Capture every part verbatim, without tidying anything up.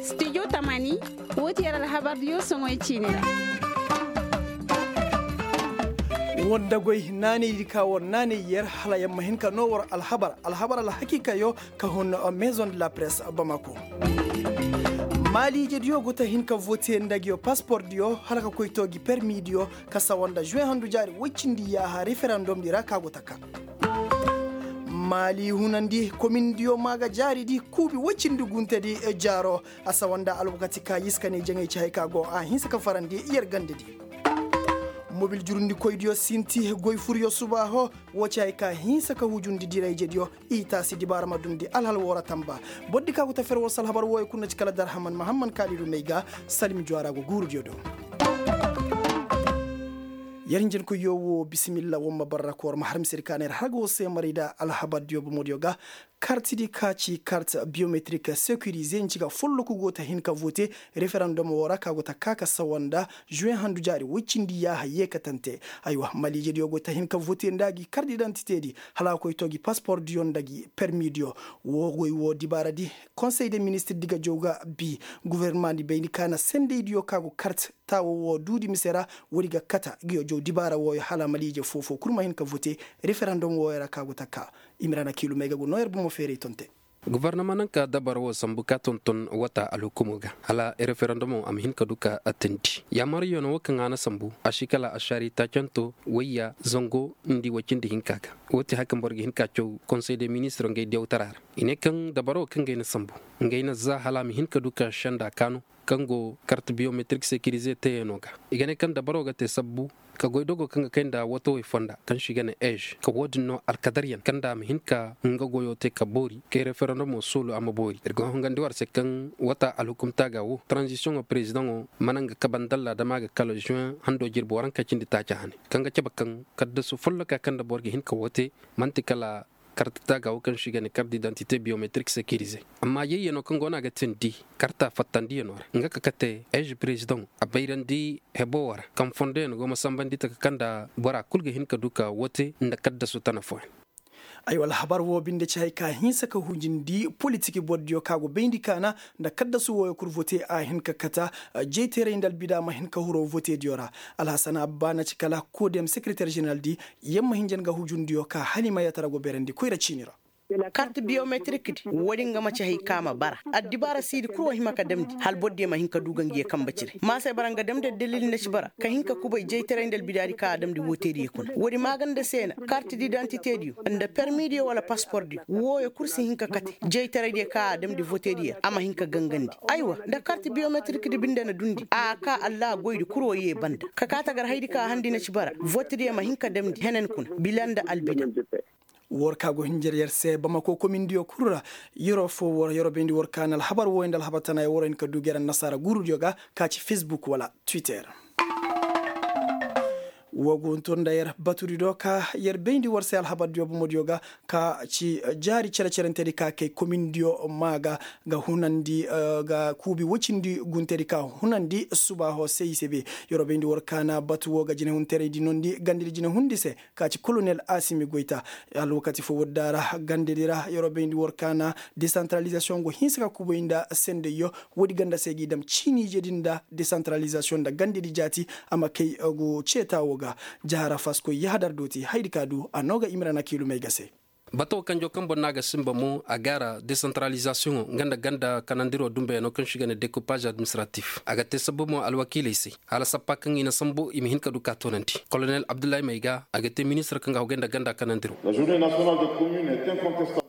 Studio tamani, woo ti yer alhabar diyo soŋoy ciini ra. War dagoy naanay di ka war naanay yer hala yer ma hin ka noo war alhabar alhabar alhakiikayo ka hun maison de la presse bamako. Maaliije diyo go ta hin ka vote nda ngiyo paspor diyo hala ka koy too gi permi diyo ka sawa nda juwe handu jaari woy cindi yaaha referandom di ra ka go ta kaa. Maali hunandi komin diyo maa ga jaari di kuubi woy cindi gunte di jaaro. A sawa nda alwakati ka yiska ne jaŋay ci hay ka go a hinsa ka farandi yer gande di. Mobil jurundikoy diyo sinti goy furyo subaaho. Woo ci hay ka hinsa ka hujundi dirayje diyo. I taasi dibaara ma dundi alhal woo ra tamba. Boro di ka go ta fer war se alhabar wooyo kul na ci kala darhaman mahamman kaalidu may ga. Salim juwaara go guuru diyo do. Yer hinjankoyyo woo bisimilla war ma barra ka war ma har misedi ka na yer har ga war se maray nda alhabar diyo bomo diyo ga. Karti di ka ci karti biyometrik sekirize nci ga folloku go ta hin ka vote referandom woo ra ka go ta kaa ka sawa nda juwe handu jaari woy cindi yaaha yeekatante. Aywa maliije diyo go ta hin ka vote nda gi karti didantite di hala a koy too gi paspor diyo nda gi permi diyo. Woo goy woo dibaara di konsey de ministir di ga jaw ga bii. Gofornama di bayndi ka na sendey diyo ka go karti taawo woo duudi mise ra. Woodi ga kata ngiyo jaw dibaara wooyo hala maliije foo-foo kul ma hin ka vote referandom wooyo ra ka go ta kaa. Imrana kiilumey ga go noo yer bomo feeray tonte. Gofornama naŋ ka dabar woo sambu ka tonton wata alhukumo ga hala referandomo a ma hin ka du ka teendi yaamariyano woo kaŋ a na sambu a si kala ašaari taacanto wayya zango nda i way cindi hinka ga. Woo ti haya kaŋ boro ga hin ka caw konsey de ministiro ngey diyawtara ra. I ne kaŋ dabar woo kaŋ ngey na sambu ngey na zaa hala a ma hin ka du ka senda kaanu kaŋ go kart biyometrik sekirize teeyanoo ga. I ga ne kaŋ dabaroo ga tee sabbu ka goy dogoo kaŋ ga kay nda watawey fonda kaŋ se i ga ne ej ka woo-din no alkadaryaŋ kaŋ nda a ma hin ka nga goyoo tee ka boori kay referendomoo soolu a ma boori ir go hongandi war se kaŋ wata alhukumtaaga woo taranzisiyoŋoo perezidaŋoo mana nga kabe nda allaa dama ga kala žuweŋ handoo jirbi waranka cindi taaca hane kaŋ ga cabe kaŋ kaddasu follokaa kaŋ nda boro ga hin ka woo tee man'ti kala karta taaga woo kaŋ se i ga ne kart didantite biyometrik sekirize. Amma yayyanoo kaŋ go no a ga teendi karta fattandiyanoo ra nga ka kate eez perezidaŋo a bayrandi heboo ra kaŋ fondoyaŋ go ma sambandi taka kaŋ nda bora kul ga hin ka du ka woo tee nda kaddasu tana fooyaŋ. Aywa alhabar woo binde ci hay ka hinsa ka hujundi politik bordiyo ka go bayndi kaana nda kaddasu wooyo kul vote a hin ka kata jayteeray nda albida ma hin ka huru votediyo ra. Alhasan abba na ci kala kodem sekereter ženeral di yer ma hinjan ga hujundiyo ka hala i ma yatara go beerandi koyra ciini ra. Kart biyometrik di woodin ga ma ci hay ka ma bara addibaara siidi kul wo hima ka damndi hala bordiyo ma hin ka du ga ngiyo kambe cire maasay bara nga damndi addalil nda ci bara ka hin ka kubay jaytaray nda albidaadi ka a damndi wooteediyo kuna woodi maaganda se na kart didantitediyo nda permidiyo wala paspordiyo wooyo kul si hin ka kate jaytaraydiyo ka a damndi voteediyo a ma hin ka gangandi. Aywa nda kart biyometrik di binde na dundi a ka allaha goydi kul wo yee banda ka kaa tagarhaydi ka a handi na ci bara votidiyo ma hin ka damndi henen kuna bila nda albida. War ka go hinjar yer se bamako komindiyo kul ra. Yeroo foo war yeroo bayndi war ka na alhabar wooyo nda alhabar tana ya waroo hin ka du gere annasaara guurudiyo ga ka ci fesbuk wala twitter. Woo go huntur nda yer batudi do ka yer bayndi war se alhabardiyo bomodiyo ga ka ci jaari cere-cerentedi ka kay komindiyo maa ga ga hunandi ga kuubi wocindi guntedi ka hunandi subaaho se i se be. Yeroo bayndi war ka na batu woo ga jinehunteraydi nondi gandedi jinehundi se ka ci kolonel asimi goyta. Alwakati foo woodin da ra gandedi ra yeroo bayndi war ka na desantaralizasiyoŋ go hinsa ka kubay nda sendayyo. Woodi ganda se g'i dam ciiniijedi nda desantaralizasiyoŋ nda gandedi jaati a ma kay go ceeta woo ga. Jahara faskoy yahadar dooti hayadi ka du a noo ga imrana kiilumey ga se. Bataw kanjoo kaŋ boro no a ga sinba mo a gaara desantaralizasiyoŋo nga nda ganda kanandiroo dumbayanoo kaŋ se i ga ne dekupaz administratif a ga tee sabbu mo alwakiiley se hala sappa kaŋ i na sambu i ma hin ka du ka toonandi kolonel abdullahi may ga a ga tee ministir kaŋ ga hogay nda ganda kanandiroo.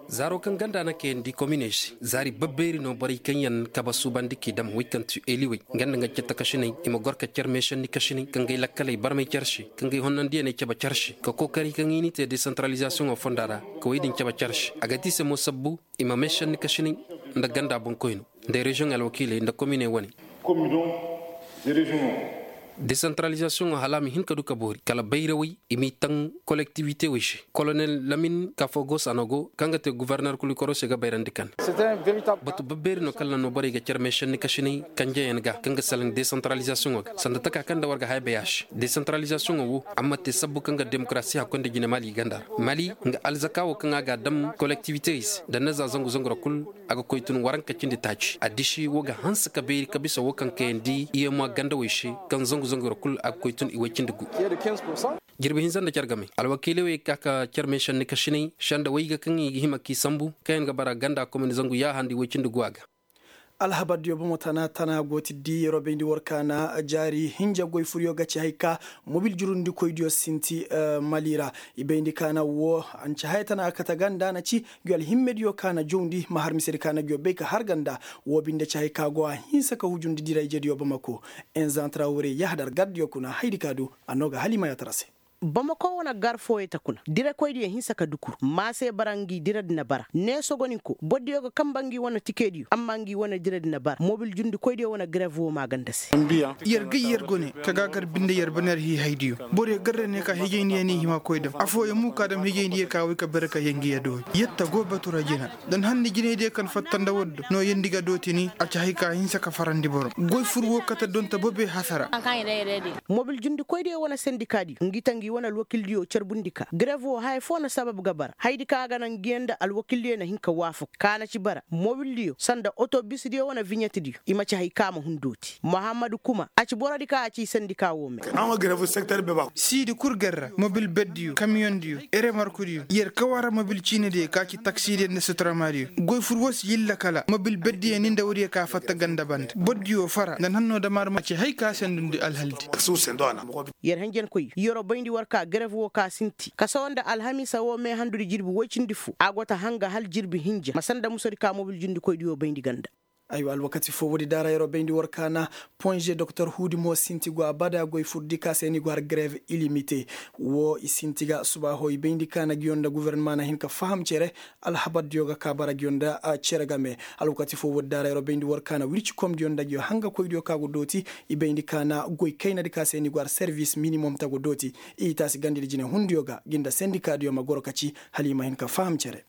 Zaaro kaŋ ganda na kayandi kominey se zaari babbeeri no borey kaŋ yaŋ kabe suubandi k'i dam wey kaŋ ti eeliwey nga nda nga cette kasiney i ma gor ka cer meesanni kasiney ka ngey lakkaley barmay cer se ka ngey honnandiyaney cabe cer se ka kookari kaŋ i n'i te desantaralizasiyoŋo fonda ra ka wey din cabe cer se a ga ti i se mo sabbu i ma meesanni kasiney nda ganda boŋkoyno nda reziyoŋ alwakiiley nda kominey wane. Desantaralizasiyoŋo hala a ma hin ka du ka boori kala bayrawey i m'i taŋ, kolektiwite wey se. Kolonel lamin kafogo sanogo kaŋ ga te guforner kulu koro se ga bayrandi kande. Batu babbeeri no kala na no borey ga care meesenni kasinay kanjeyaŋ ga kaŋ ga salaŋ desantaralizasiyoŋo ga sanda taka kaŋ nda war ga haya bay a se. Desantaralizasiyoŋo wo a ma te sabbu kaŋ ga demokarasi hakkoy nda jine mali ganda ra mali nga alzaka wo kaŋ a ga a dam kolektiwitey se nda naza zangu zangu ra kulu. A ga koy tun waranka cindi taaci a disi wo ga hanse ka beeri ka bisa wo kaŋ kayandi iyema gandawey se kaŋ zangu zangu ra kulu a ga koy tun i way cindi gu. Jirbi hinza nda care game alwakiiley wey ka ka care meesenni kasinay senda wayga kaŋ i ga hima k'i sambu kaŋ yaŋ ga bara ganda komin zangu yaaha nda i way cindi gu a ga. Alhabardiyo bomo tana tana go ti di yeroo bayndi war kaana jaari hinja goy furyo ga ci hay ka mobil jurundikoydiyo sinti mali ra. I bayndi kaana wo anca haya tana a kate ganda na ci. Ngi alhimmediyo kaana jawndi ma har misedi kaana ngiyo bay ka har ganda. Wo binde ci hay ka go a hinsa ka hujundi dirayjediyo bamako. Enzantra wure yahadar gardiyo kuna haydi ka du. A no ga halima yaatara se. Bamako wane gar fooyey ta kuna direkoydiyo hinsa ka dukur maase bara ngi diredi na bara neesogoninko bordiyo ga kamba ngi wane tikediyo amma ngi wane diredi na bara mobil jundikoydiyo wane grev wo maaganda se. Yer gay yer gone ka gaagar binde yer baner hiihaydiyo. Boryo garra ne ka hijayndiyo ne hima koy dam afooyo mu ka dam hijayndiyo ka way ka bare ka yangiya doori yetta go batura jina. Dan hanni jinaydiyo kan fatta nda waddo no yandi ga dooti ni a ci hay ka hinsa ka farandi boro goy fur wo kate donta bobe hasara. Mobil jundikoydiyo wane sendikadiyo ngi ta ngi wane alwakildiyo carbundi ka grev wo haya foo na sabab ga bara hayadi ka a ga naŋ ngiyaŋ nda alwakildiyo na hin ka waafak ka na ci bara mobildiyo sanda otobisdiyo wane viɲetdiyo i ma ci hay ka a ma hun dooti muhammadu kuma a ci borodi ka a ci sendika wo me. Siidi kul garra mobil beddiyo kamiyondiyo eremarkudiyo yer kawara mobil ciinidiyo ka ci taksidiyo nda suturamadiyo goy fur wo si yilla kala mobil beddiyo ni nda woodiyo ka fatta ganda banda bordiyo fara nda nanno damar ma ci hay ka sendundi alhaldi. Yer hanjankoy yeroo bayndi war ka grev wo ka sinti ka sawa nda alhamiisa wo meehandudi jirbi woy cindi fo a go ta hanga hal jirbi hinja ma sanda musodi ka mobil jundikoydiyo bayndi ganda. Aywa alwakati fo woodi daara yeroo bayndi war kaana ponze doktor huudi mo sinti go abada goy furdi ka se ni go har grev ilimite. Wo i sinti ga subaaho i bayndi kaana giyo nda gufornama na hin ka faham cere. Alhabardiyo ga ka bara giyo nda cere game. Alwakati fo woodi daara yeroo bayndi war kaana wircikomdiyo nda giyo hangakoydiyo ka go dooti. I bayndi kaana goy kaynadi ka se ni go har servis minimom ta go dooti. I taasi gandidi jine hundiyo ga gi nda sendikadiyo ma goro ka ci hala i ma hin ka faham cere.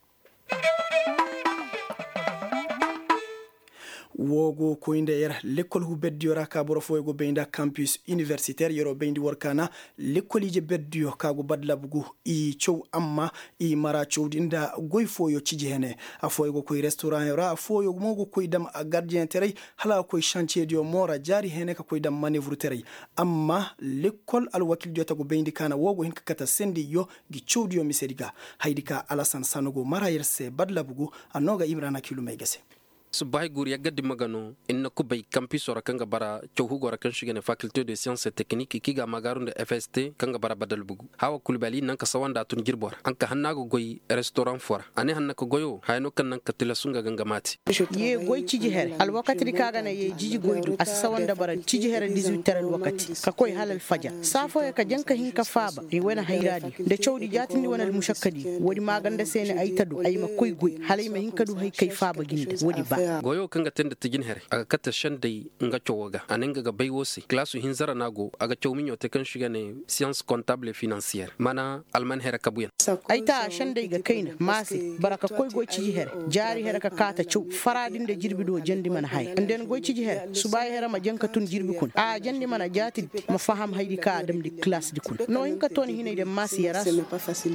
Woo go koy nda yer lekkol hu berdiyo ra ka boro fooyo go bay nda kampus iniversiter yeroo bayndi war kaana. Lekkol ije berdiyo ka go badlab gu i caw amma i mara cawdi nda goy fooyo ciji hene. Afooyo go koy restoranyo ra afooyo mo go koy dam gardiyeŋ teray. Hala a koy sancediyo mo ra jaari hene ka koy dam manevru teray. Amma lekkol alwakildiyo ta go bayndi kaana woo go hin ka kate sendiyo. Gi cawdiyo misedi ga haydi ka alasan sano go mara yer se badlab gu. A noo ga imrana kilumey ga se. Subbahay guuru yagga dimma ga no. Inna kubay kampiso ra kaŋ ga bara caw hugo ra kaŋ se i ga ne fakilte de siyans et teknik kaŋ i ga a maagaaru nda fst kaŋ ga bara badal bugu. Hawa kulbali naŋ ka sawa nda a tun jirbo ra a na ka hanna a ga goy restoran fo ra a ne hanna ka goyo haya no kaŋ naŋ ka tilasu nga ga nga maati. Ye goy ciji here alwakati di kaŋ a ga ne ye jiji goy du a si sawa nda bara ciji here dizuwit tere alwakati ka koy hala alfajar saa fooyo ka jaŋ ka hin ka faaba i wane hayraadi nda cawdi jaatindi wane almušakkadi. Woodi maaganda se ne ay ta du ay ma koy goy hala ay ma hin ka du hay kay faaba gi nda woodi ba. Goyo kaŋ ga te nda tijin here a ga kate sendey nga cawo ga a ne nga ga bay wo se kalaasu hinza ra no a go a ga caw miɲo te kaŋ se i ga ne siyans kontabul et finansiyer mana alman here kabuyaŋ. Ay ta sendey ga kayna maase bara ka koy goy ciji here jaari here ka kaata caw faraadi nda jirbi do jandi mana haya nda yan goy ciji here subaayo here ma jaŋ ka tun jirbi kuna a jandi mana jaatidi ma faham haydi ka a damndi kalaasdi kuna no hin ka tooni hinay daŋ maase yarasu.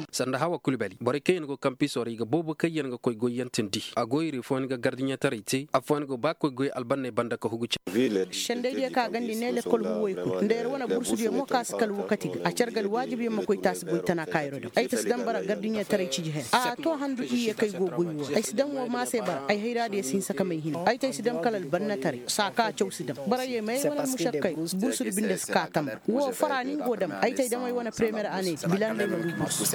Sanda hawa kulbali borey kaŋ yaŋ go kampiso ra i ga boobo kaŋ yaŋ ga koy goyyaŋ tindi a go i ra i fooyaŋ ga gardiɲetaray te afooyaŋ go ba koy goy albanney banda ka hugu care. Sendaydiyo ka gandi ne lekkol huwey kul nda yer wane bursudiyo mo ka si kala wakati ga a care ga alwaajibyaŋ ma koy taasi goy tana ka yeroo daŋ ay ta si daŋ bara gardiɲetaray ciji here a to handu iyye kaŋ ay go goy wo ra ay si daŋ wo maase bara ay hayraadiyo si hinsa ka may hina ay ta ay si daŋ kala albannetaray saa ka caw si daŋ bara ye ma ay wane almušakkay. Bursudi binde si ka tambar wo fara ni nga go daŋ ay ta ay daŋ ay wane premiyer ane bilandey ma du bursu.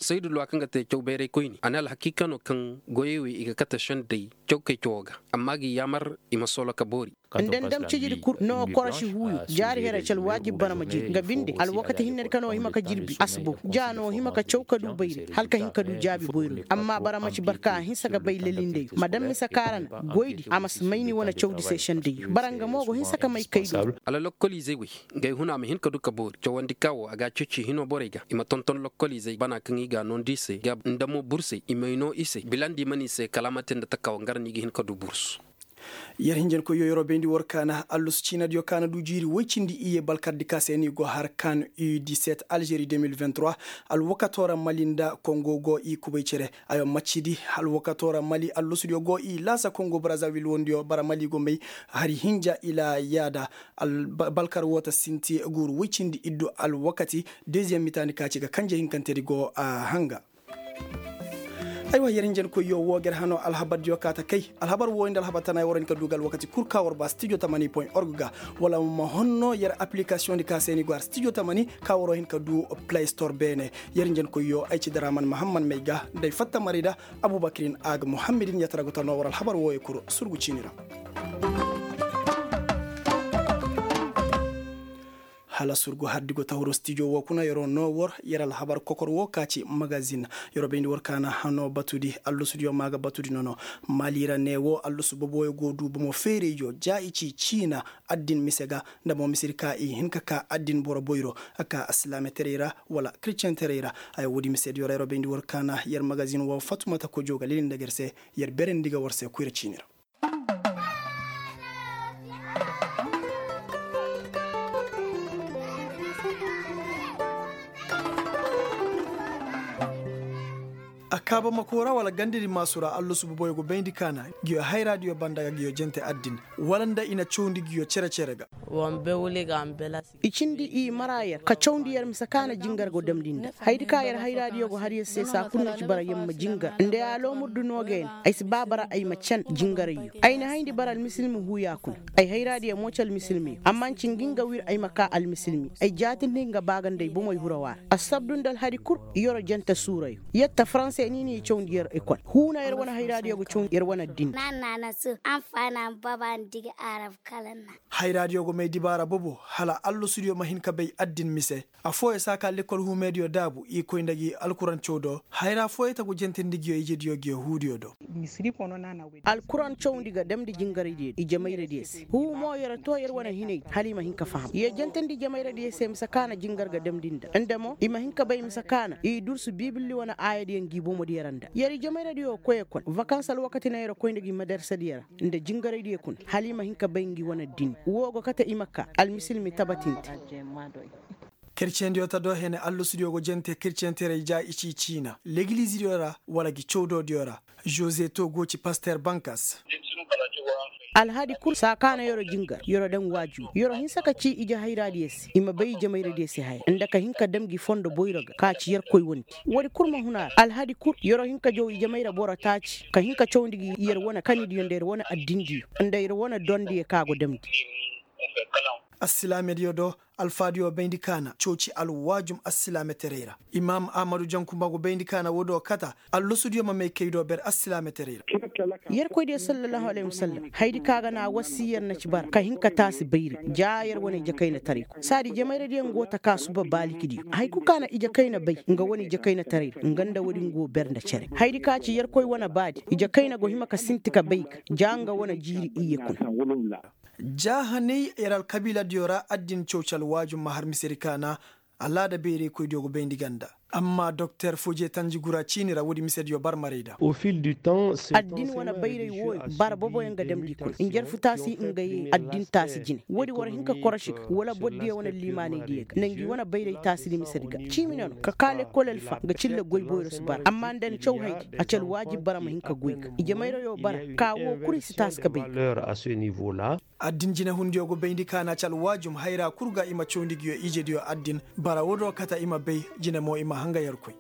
Saydu luwa kaŋ ga te caw bayraykoyni a ne alhakiika no kaŋ goyey wey i ga kate sendey caw kay cawo ga amma a ga i yaamar i ma soolo ka boori. Nda ndam cijidi kul no korosi huuyo jaari here ci alwaajib bara ma jir nga binde alwakati hinnedi ka no hima ka jirbi asbo ja no hima ka caw ka du bayri hala ka hin ka du jaabi boyro. Amma bara ma ci barka a hinsa ga bay lalindeyo ma dam mise kaara na goydi a ma si may ni wane cawdi se sendeyo bara nga mo go hinsa ka may kay du. Hala lokkoliizey wey, ngey huna ma hin ka du ka boori cawandi ka wo a ga a ceeci hino borey ga i ma tonton lokkoliizey bana kaŋ i ga a noondi i se ga nda mo bursey i may noo i se bilandi i mana i se kala a ma te nda taka wo nga ra no i ga hin ka du bursu. Yer hinjankoyyo yer wo bayndi war kaana allusu ciinadiyo kaana du jiiri woy cindi iyye balkardi ka se ni go har kan u diset alžeri deux mille vingt-trois. Alwakatoo ra mali nda kongo go i kubay cere. Ayo maccidi alwakatoo ra mali allusudiyo go i laasa kongo brazavil wondiyo bara mali go may hari hinja ila yaada. Balkar woo ta sinti guuru woy cindi iddu alwakati. Deziyeŋ mitaani ka ci ga kanje hinkantedi go a hanga. Aywa yer hinjankoyyo woo ga yer hanoo alhabardiyo kaa ta kay. Alhabar wooyo nda alhabar tanayo war hin ka du ga alwakati kul ka war ba stijo tamani point org ga. Wala ma honno yer appilikasiyoŋdi ka se ni go har stijo tamani ka waroo hin ka du play store beene. Yer hinjankoyyo ay ci daraman mahamman may ga nda ay fatta maray da abubakirin a ga muhammadin yatara go ta noo war alhabar wooyo kul surgu ciini ra. Hala surgu hardi go tahuro stijo woo kuna yeroo noo war yer alhabar kokor woo ka ci magazin. Yeroo bayndi war kaana hanoo batudi allusudiyo maa ga batudi nono. Mali ra ne woo allusu boboyo go du bomo feerayyo ja i ci ciina addin mise ga nda mo misedi ka i hin ka kaa addin boro boyro a kaa asilaametaray ra wala kiristiyantaray ra. Ay woodi misediyo ra yeroo bayndi war kaana yer magazin woo fatumata kojo ga lili nda ga yer se. Yer berandi ga war se koyra ciini ra. A kaaba makoo ra wala gandadi maasu ra allusu boboyo go bayndi kaana. Ngiyo hayraadiyo banda ga ngiyo jente addin wala nda i na cawndi ngiyo cere-cere ga. I cindi i mara yer ka cawndi yer mise ka na jingar go damndi nda hayadi ka yer hayraadiyo go har yer se saa kul na ci bara yer ma jingar nda ya loomurdu noo ga ya ne. Ay si ba bara ay ma can jingarayyo. Ay na hayndi bara almisilmi huuya kuna. Ay hayraadiyo mo ci almisilmiyo amma nci ngi nga wir ay ma kaa almisilmi. Ay jaatindi nga baa ga nda ay bomoy hurawa ra assabdu nda alhadi kul. Yer jente suurayo yer ta faranse ni n'i cawndi yer ekol huuna yer wane hayraadiyo ga cawndi yer wane addini. Hayraadiyo go may dibaara bobo hala allosudiyo ma hin ka bay addin mise. Affooyo si a kaa lekkol huumeediyo daabu i koy nda gi alkuran caw do hayra fooyo tagu jentindi ngiyo ijediyo ngiyo huudiyo do. Alkuran cawndi ga damndi jingaraydiyo i jamayradiyo se huu mo yer too yer wane hinay hala i ma hin ka faham yer jentindi jamayradiyo se mise ka na jingar ga damndi nda nda mo i ma hin ka bay mise ka na i dursu biibilli wane aayadiyo ngi bomodiyo ra nda yer i jamayradiyo koy ekol vakans alwakati na yer koy nda gi madarsadiyo ra nda jingaraydiyo kuna hala i ma hin ka bay ngi wane addini woo go kate i ma kaa almisilmi tabatinte. Kerciyendiyo ta do hene allosudiyo go jente kerciyenteray ja i ci ciina legilizidiyo ra wala gi cawdoodiyo ra. Žoze to go ci paster bankas. Alhadi kul saa ka na yero jingar yero daŋ waaju yero hinsa ka ci ije hayraadiyo se i ma bay ije mayradiyo se haya nda ka hin ka dam gi fondo boyro ga ka ci yerkoy wondi. Woodi kul ma hun a ra alhadi kul yero hin ka jaw ije mayra boro taaci ka hin ka cawndi gi yer wane kanidiyo nda yer wane addindiyo nda yer wane dondiyo ka go damndi. Assilaamediyo do alfaadiyo bayndi kaana cooci alwaajum assilaametaray ra. Imaam ahmadu jankumba go bayndi kaana woodiyo kata allosudiyo ma may kay do ber assilaametaray ra. Yerkoydiyo sallallahu alayhi wasallam haydi ka ga na wassi yer na ci bara ka hin ka taasi bayri ja yer wane ijekaynataray ko saadi jemayradiyo nga go ta ka suba baalikidiyo hay kul ka na ijekayna bay nga wane ijekaynataray ra nga nda woodi nga go ber nda cere haydi ka ci yerkoy wane baadi ijekayna go hima ka sinti ka bay ga ja nga wane jiiri iyye kuna. Jaahanay yer alkabiiladiyo ra addin cawcal waajum ma har misedi kaana. Alaada bayraykoydiyo go bayndi ganda amma doktor foje tanjigura ciini ra woodi misediyo barmarayda. Addin wane bayray wooyo bara boboyaŋ ga damndi kuna njarfu taasi nga ye addin taasi jine woodi war hin ka korosi ga wala bordiyo wane liimaanaydiyo ga nda ngi wane bayray taasidi misedi ga ciimi nono ka kaa lekkol alfa nga cille goy boyro si bara amma nda ni caw haydi a ci alwaajib bara ma hin ka goy ga ije mayrayo bara ka woo kul i si taasi ka bay ga. Addin jinehundiyo go bayndi kaana ci alwaajum hayra kul ga i ma cawndi ngiyo ijediyo addin bara woodiyo kata i ma bay jine mo i ma hanga yerkoy.